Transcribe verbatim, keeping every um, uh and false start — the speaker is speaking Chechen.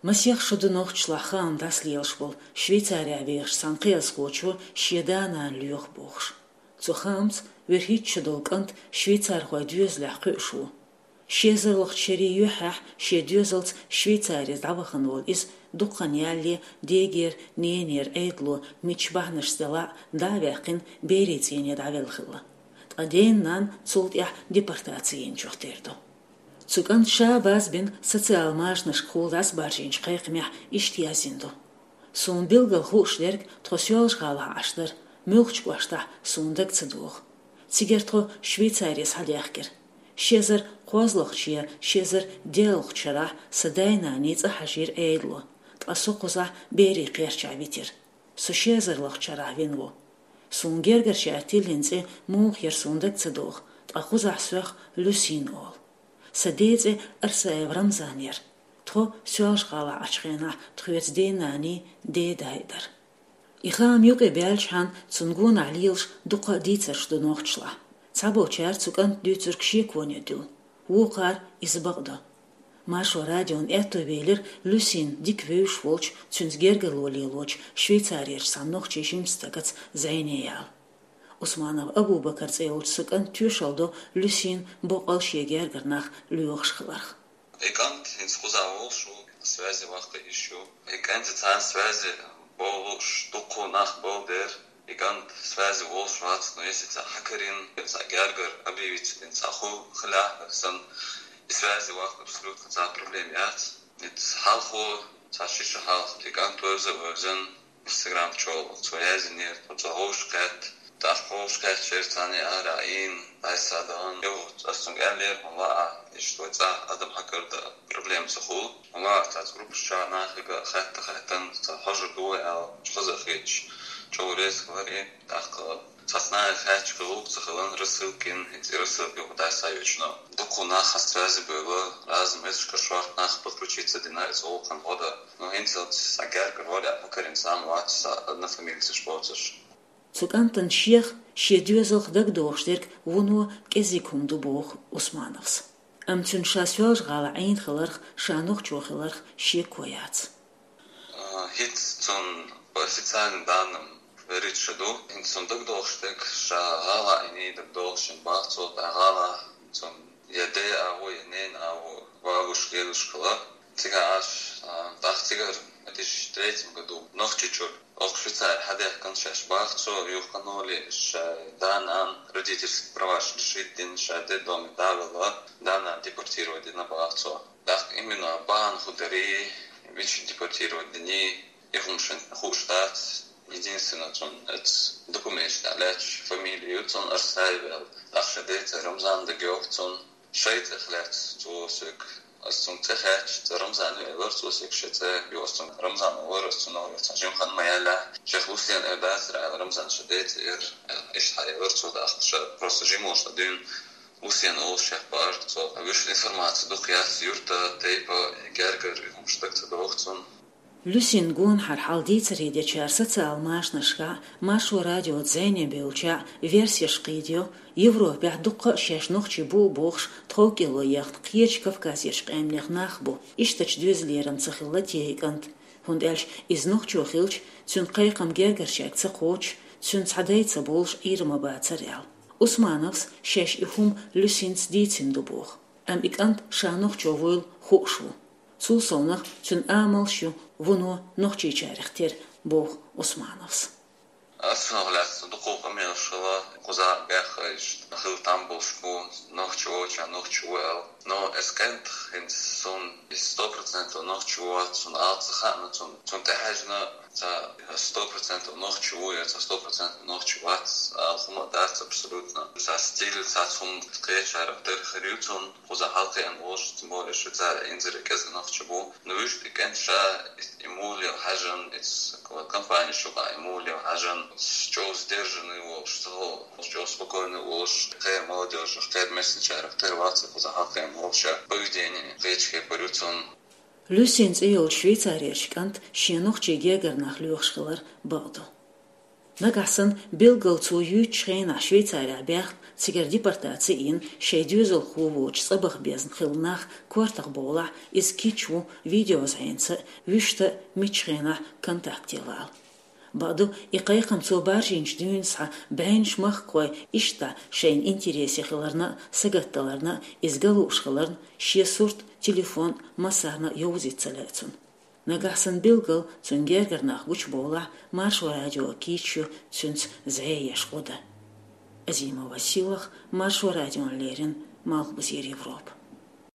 Масех шу ду нохчашлахь хаам дӀасалелаш болу Швейцарехь вехаш цхьана кхиазхочо шен да-нана лоьху бохуш. Цу хаамца вуьрхӀитта шу долу кӀант швейцархойн доьзалехь кхуьуш ву. Ши эзарлагӀчу шерийн юьххьехь шен доьзалца Швейцарица дӀавахана волу иза дукха хан ялале дегара, ненера Ӏедало мичча бахьанашца делахь а дӀа а ваьккхина, берийн цӀийне дӀавелла хилла. Ткъа ден-нана цул тӀаьхьа депортаци йинчух тера ду. Цу кӀанта ша базбина социал-машанашкахула дӀасабаржийначу кхайкхамехь иштта яздина ду: «Суна билггал хууш дерг тхо Соьлжа-ГӀалахь Ӏаш дара, муьлххачу кӀоштахь суна дага ца догӀу. Цигара тхо Швейцаре схьадаьхкира. Ши эзар кхозлагӀчу я ши эзар дийлалгӀчу шарахь сан дай-наний цӀа хьажийра Ӏедало, ткъа со кхузахь берийн кхерчахь витира. Со ши эзарлагӀчу шарахь вина ву. Суна гергарчара тиллина цӀе муха яра суна дага ца догӀу, ткъа кхузахь сох Люсин олу. Сан ден цӀе Арсаев Рамзан яра. Тхо Соьлжа-ГӀалахь Ӏачу хенахь тхоьца ден-наний, ден-дай дара». И хаам юкъе баьлчхьана цунна гонах лелаш дуккха а дийцарш ду нохчашлахь. Цхьаболчара цу кӀанта дуьйцург шеконе дуьллу, вукхара иза бакъ ду. Маршо радиона аьтто велира Люсин дика вевзаш волчу, цуьнца гергарло лелочу Швейцарерчу цхьана нохчийн жимачу стагаца зӀене яла. Усманов Абу-Бакар цӀе йолчу цу кӀанта тоьшалла до Люсин боккъал шен гергара нах лоьхуш хиларх. И кӀант хӀинца кхузахь волуш ву, связи вахта йиш ю. И кӀант цхьана связи болуш дуккха нах болу дера, и кӀант связи волуш вац, но если цхьа хьакарина, цхьа гергара объявиться дина, цхьа хӀу хилахь а санна, и связи вахта абсолютно цхьа проблема яц. Иза хьалхо, цхьа ши шу хьалха, и кӀант вевза а вевзина, Instagram чохь цо яздинера, тхо цо гӀовш кхетта, тӀаккха гӀовш кхеттачеран царна ара а ийна, дӀасадаьхна. Юха ас цуьнга аьллера, хӀума лаахь, иштта вай цӀахь адам хьакардан проблема ца хуьлу. ХӀума лаахь, цхьацца группаш чохь нахе а хатта-хаттана, цхьа хьожур ду вай аьлла, хаза а хеташ, чӀогӀа реза хилар и. ТӀаккха цхьацца нахе хаьттича хилла, ца хилла, рассылка йина, хӀинца и рассылка юха дӀасайоьчуьйтуш. Дуккха нах хьан связи бевлла, разный месташкара шорта нах подключиться дина, иза гӀуллакхан гӀо дан. Но хӀинцалц цхьа гергара варе а хьакарина цхьа а вац, цхьа однофамильцаш боцуш. Цу кӀантана шех, шен доьзалх дагадогӀуш дерг вуно кӀезиг хӀума ду боху Усмановс. Амма цуьнан ша Соьлжа-ГӀалахь Ӏийна хиларх, ша нохчо хиларх шеко яц. А, хӀинца цунна по официальным данным вуьрхӀитта шу ду. ХӀинца цунна дагадогӀуш дерг, ша гӀала Ӏийний дагадогӀу шена бах цо, тӀаккха гӀала цунна я ден а ву, я ненан а ву, бабушка, дедушка хилла. Цигахь Ӏаш, а, тӀаккха цигара две тысячи третьем году Нохчийчуьра оха Швейцаре хьадаьхкина шаьш бах цо, юха кханале шайн да-нана родительские права лишить дина, ша детдоме дӀавелла, да-нана депортировать дина бах цо. ТӀаккха именно бахьана хӀун дарий, мича депортировать диний, и хӀума шена хууш дац. Единственное, цунна оцу документаш тӀехь лаьтташ фамилия ю цунна Арсаев аьлла. ТӀаккха шен ден цӀе Рамзан дагайогӀу цунна. Шайн цӀех лаьцна цо соьга. Ас цунга цӀе хаьттича, цӀе Рамзан ю элира цо соьга, шен цӀе ю, ас цунга Рамзан олура, ас цунах цхьа жима хан ма яьллехь. Шех Лусен эр дацара аьлла, Рамзан шен ден цӀе яра, иштта хьаэлира цо, тӀаккха ша просто жима волуш дӀадуьйна. Лусен олуш шех бара цо. Вуьшта информаци дукха яц юьртан, тайпан, гергара и хӀумаш дага ца догӀу цунна. Люсин гонахьара хьал дийцаре дечара социал-машанашкахь, Маршо радиоца зӀене бевллачара версеш кхийдайо, Европехь дуккха а шаьш нохчий бу бохуш, тхов кӀело яхна кхечу Кавказерчу къаьмнех нах бу, иштачу доьзалера-м ца хилла те и кӀант. ХӀунда аьлча иза нохчо хилча, цуьнан кхайкхам гергарчаьрга ца кхочуш, цуьнан цхьа дай ца болуш Ӏийр ма бацара аьлла. Усмановс шаьш и хӀума Люсинца дийцина ду боху. Амма и кӀант ша нохчо вуйла хууш ву. Цул совнаха цуьнан амалш ю вуно нохчийчарех тера, боху Усмановс. Ас цунах лаьцна дукха къамелаш хилла, кхузахь бехаш хилла там болуш бу, нохчо волча нохчо ву аьлла. Но эс кӀант хӀинца суна и сто процентов нохчо ву вац, суна ала ца хаьа, но цунна, цунна тӀехьаьжна, цхьа сто процентов нохчо ву я цхьа сто процентов нохчо вац ала хӀума дац абсолютно. Цхьа стиль, цхьацца хӀума кхечарах тера хир ю цунна. Кхузахь хьалакхиъна волуш, тем более Швейцарехь инзаре кӀезиг нохчий бу. Но вуьшта и кӀант ша и муха лела хьаьжна, и компанеш юкъахь и муха лела хьаьжна, чӀогӀа сдержанный волуш, чӀогӀа спокойный волуш, кхеран молодёжах, кхеран мессенджерах тера вац кхузахь хьалакхиъна волуш, поведение кхечу кепара ю цунна. Люсин цӀе йолчу Швейцарерчу кӀанта шен нохчийн гергара нах лоьхуш хилар бакъ ду. Нагахь санна билггал цо юьйцучу хенахь Швейцарехь баьхна Цигара депортаци йина шоай доьзалхо воацаш цӀабаха безна хилла нах коартах бовлахь, иза кийча ву видеозӀенца, вуьшта мичча хенахь контакте вала. Бакъду, и кхайкхам цо баржийначу дуьйна схьа бӀеннаш махкахой иштта шайна интересе хиларна а, сагатдаларна а, иза ган лууш хиларна, шен сурт, телефон массарна а йовзийта ца лаьа цунна. Нагахь санна билггал цуьнан гергара нах гучубовлахь, Маршо радиога кийча ю цуьнца зӀе еш гӀо дан. Азимова Силах, Маршо радиона леррина, Малхбузера Европа.